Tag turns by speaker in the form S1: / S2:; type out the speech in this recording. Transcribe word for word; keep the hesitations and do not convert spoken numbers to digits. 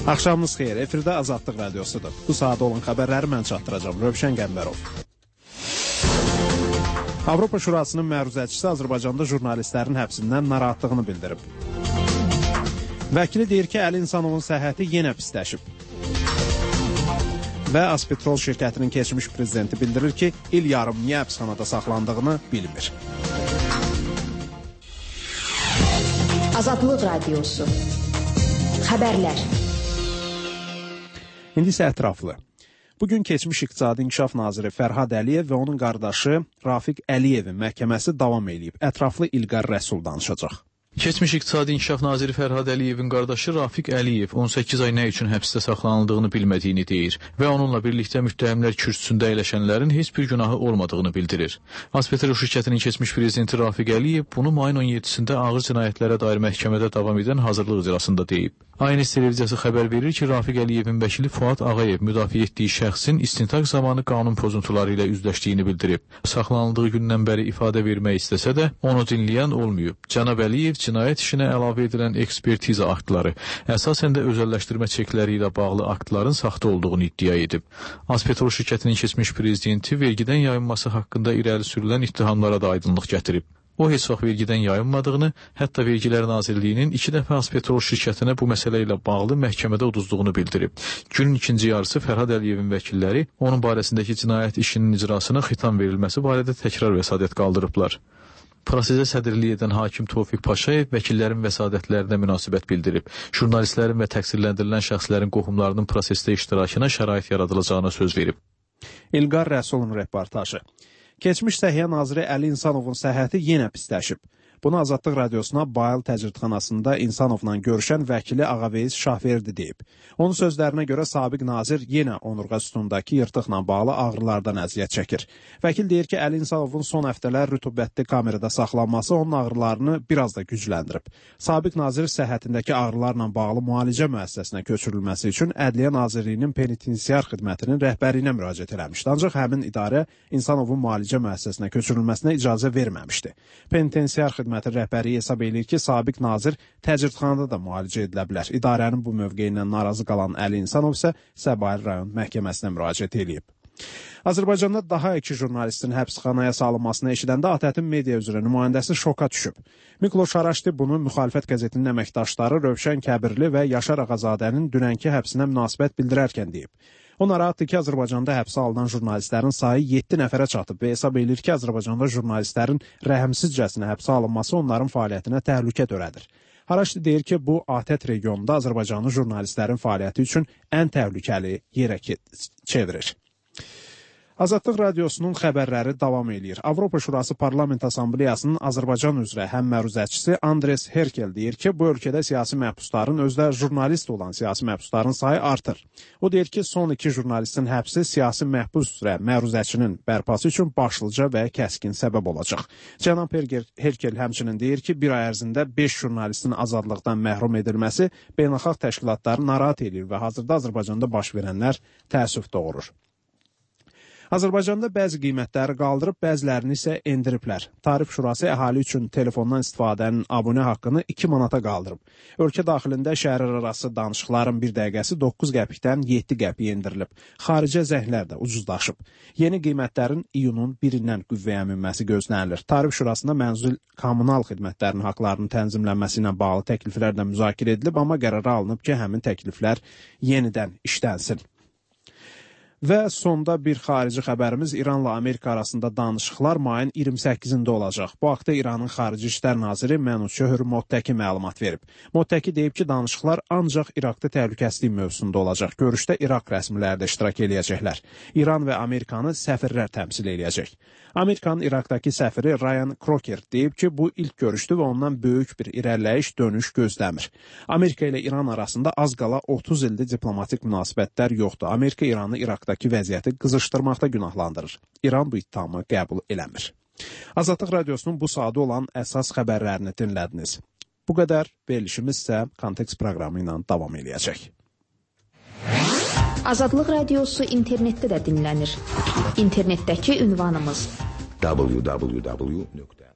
S1: Axşamınız xeyir, efirdə Azadlıq Radiosudur. Bu saat olan xəbərləri mən çatdıracağım, Rövşən Qəmbərov. Avropa Şurasının məruzəçisi Azərbaycanda jurnalistlərin həbsindən narahatlığını bildirib. Vəkili deyir ki, Əli İnsanovun səhhəti yenə pisləşib. Və Azpetrol şirkətinin keçmiş prezidenti bildirir ki, il yarım niyə həbsxanada saxlandığını bilmir.
S2: Azadlıq Radiosu. Xəbərlər. İndi isə ətraflı. Bugün keçmiş İqtisadi İnkişaf Naziri Fərhad Əliyev və onun qardaşı Rafiq Əliyevin məhkəməsi davam edib. Ətraflı İlqar Rəsul danışacaq.
S3: Keçmiş İqtisadi İnkişaf Naziri Fərhad Əliyevin qardaşı Rafiq Əliyev on səkkiz ay nə üçün həbsdə saxlanıldığını bilmədiyini deyir və onunla birlikdə müttəhimlər kürsüsündə əyləşənlərin heç bir günahı olmadığını bildirir. Azpetrol şirkətinin keçmiş prezidenti Rafiq Əliyev bunu mayın on yeddisində ağır cinayətlərə dair məhkəmədə davam edən hazırlıq icrasında deyib. A N S televiziyası xəbər verir ki, Rafiq Əliyevin vəkili Fuad Ağayev müdafiə etdiyi şəxsin istintaq zamanı qanun pozuntuları ilə üzləşdiyini bildirib. Saxlanıldığı gündən bəri ifadə vermək istəsə də onu dinləyən olmayıb. Cənab Əliyev cinayət işinə əlavə edilən ekspertiza aktları, əsasən də özəlləşdirmə çekləri ilə bağlı aktların saxta olduğunu iddia edib. Azpetrol şirkətinin keçmiş prezidenti vergidən yayınması haqqında irəli sürülən ittihamlara da aydınlıq gətirib. O heç vaxt vergidən yayınmadığını, hətta Vergilər Nazirliyinin iki dəfə Azpetrol şirkətinə bu məsələ ilə bağlı məhkəmədə uduzduğunu bildirib. Günün ikinci yarısı Fərhad Əliyevin vəkilləri onun barəsindəki cinayət işinin icrasına xitam verilməsi barədə təkrar vəsadət qaldırıblar. Prosesə sədrlik edən hakim Tofiq Paşayev vəkillərin vəsadətlərinə münasibət bildirib. Jurnalistlərin və təqsirləndirilən şəxslərin qohumlarının prosesdə iştirakına şərait yaradılacağına söz verib.
S1: İlqar Rəsulun reportajı. Keçmiş Səhiyyə Naziri Əli İnsanovun səhhəti yenə pisləşib. Bunu Azadlıq Radiosuna Bayıl Təcridxanasında İnsanovla görüşən vəkili Ağaveyiz Şahverdi deyib. Onun sözlərinə görə sabiq nazir yenə onurğa sütunundakı yırtıqla bağlı ağrılardan əziyyət çəkir. Vəkil deyir ki, Əli İnsanovun son həftələr rütubətli kamerada saxlanması onun ağrılarını biraz da gücləndirib. Sabiq nazir səhhətindəki ağrılarla bağlı müalicə müəssisəsinə köçürülməsi üçün Ədliyyə Nazirliyinin penitensiar xidmətinin rəhbərliyinə müraciət eləmişdi. Ancaq həmin idarə İnsanovun müalicə müəssisəsinə köçürülməsinə icazə verməmişdi. Penitensiar xidmətin rəhbəri hesab edir ki, sabiq nazir təcridxanada da müalicə edilə bilər. İdarənin bu mövqeyindən narazı qalan Əli İnsanov isə Səbail rayon məhkəməsinə müraciət edib. Azərbaycanda daha iki jurnalistin həbsxanaya salınmasını eşidəndə ATƏT-in media üzrə nümayəndəsi şoka düşüb. Mikloş Araşdi bunu müxalifət qəzetinin əməkdaşları Rövşən Kəbirli və Yaşar Ağazadənin dünənki həbsinə münasibət bildirərkən deyib. O narahatdır ki, Azərbaycanda həbsə alınan jurnalistlərin sayı yeddi nəfərə çatıb və hesab edir ki, Azərbaycanda jurnalistlərin rəhmsizcəsinə həbsə alınması onların fəaliyyətinə təhlükə törədir. Araşdi deyir ki, bu ATƏT regionunda Azərbaycanlı jurnalistlərin fəaliyyəti üçün ən təhlükəli yerə çevirir. Azadlıq Radiosunun xəbərləri davam edir. Avropa Şurası Parlament Assambleyasının Azərbaycan üzrə həm məruzəçisi Andres Herkel deyir ki, bu ölkədə siyasi məhbusların, özdə jurnalist olan siyasi məhbusların sayı artır. O deyir ki, son iki jurnalistin həbsi siyasi məhbus üzrə məruzəçinin bərpası üçün başlıca və kəskin səbəb olacaq. Cənab Herkel həmçinin deyir ki, bir ay ərzində beş jurnalistin azadlıqdan məhrum edilməsi beynəlxalq təşkilatları narahat edir və hazırda Azərbaycanda baş verənlər təəssüf doğurur. Azərbaycanda bəzi qiymətləri qaldırıb, bəzilərini isə endiriblər. Tarif Şurası əhali üçün telefondan istifadənin abunə haqqını iki manata qaldırıb. Ölkə daxilində şəhərarası danışıqların bir dəqiqəsi doqquz qəpikdən yeddi qəpiyə endirilib. Xaricə zənglər də ucuzlaşıb. Yeni qiymətlərin iyunun birindən qüvvəyə minməsi gözlənilir. Tarif Şurasında mənzil kommunal xidmətlərinin haqlarının tənzimlənməsi ilə bağlı təkliflər də müzakirə edilib, amma qərara alınıb ki, həmin təkliflər yenidən işlənsin. Və sonda bir xarici xəbərimiz İranla Amerika arasında danışıqlar mayın iyirmi səkkizində olacaq. Bu haqda İranın Xarici İşlər Naziri Mənuşöhr Mottəki məlumat verib. Mottəki deyib ki, danışıqlar ancaq İraqda təhlükəsizlik mövzusunda olacaq. Görüşdə İraq rəsmiləri də iştirak eləyəcəklər. İran və Amerikanı səfirlər təmsil eləyəcək. Amerikanın İraqdakı səfiri Ryan Crocker deyib ki, bu ilk görüşdür və ondan böyük bir irəliləyiş dönüş gözləmir. Amerika ilə İran arasında az qala otuz ildir diplomatik münasibətlər yoxdur. Amerika İranı İraqdakı vəziyyəti qızışdırmaqda günahlandırır. İran bu ittihamı qəbul eləmir. Azadlıq Radiosunun bu saatı olan əsas xəbərlərini dinlədiniz. Bu qədər, verilişimiz isə Kontekst proqramı ilə davam eləyəcək.
S2: Azadlıq Radiosu internetdə də dinlənir. İnternetdəki ünvanımız
S4: w w w nöqtə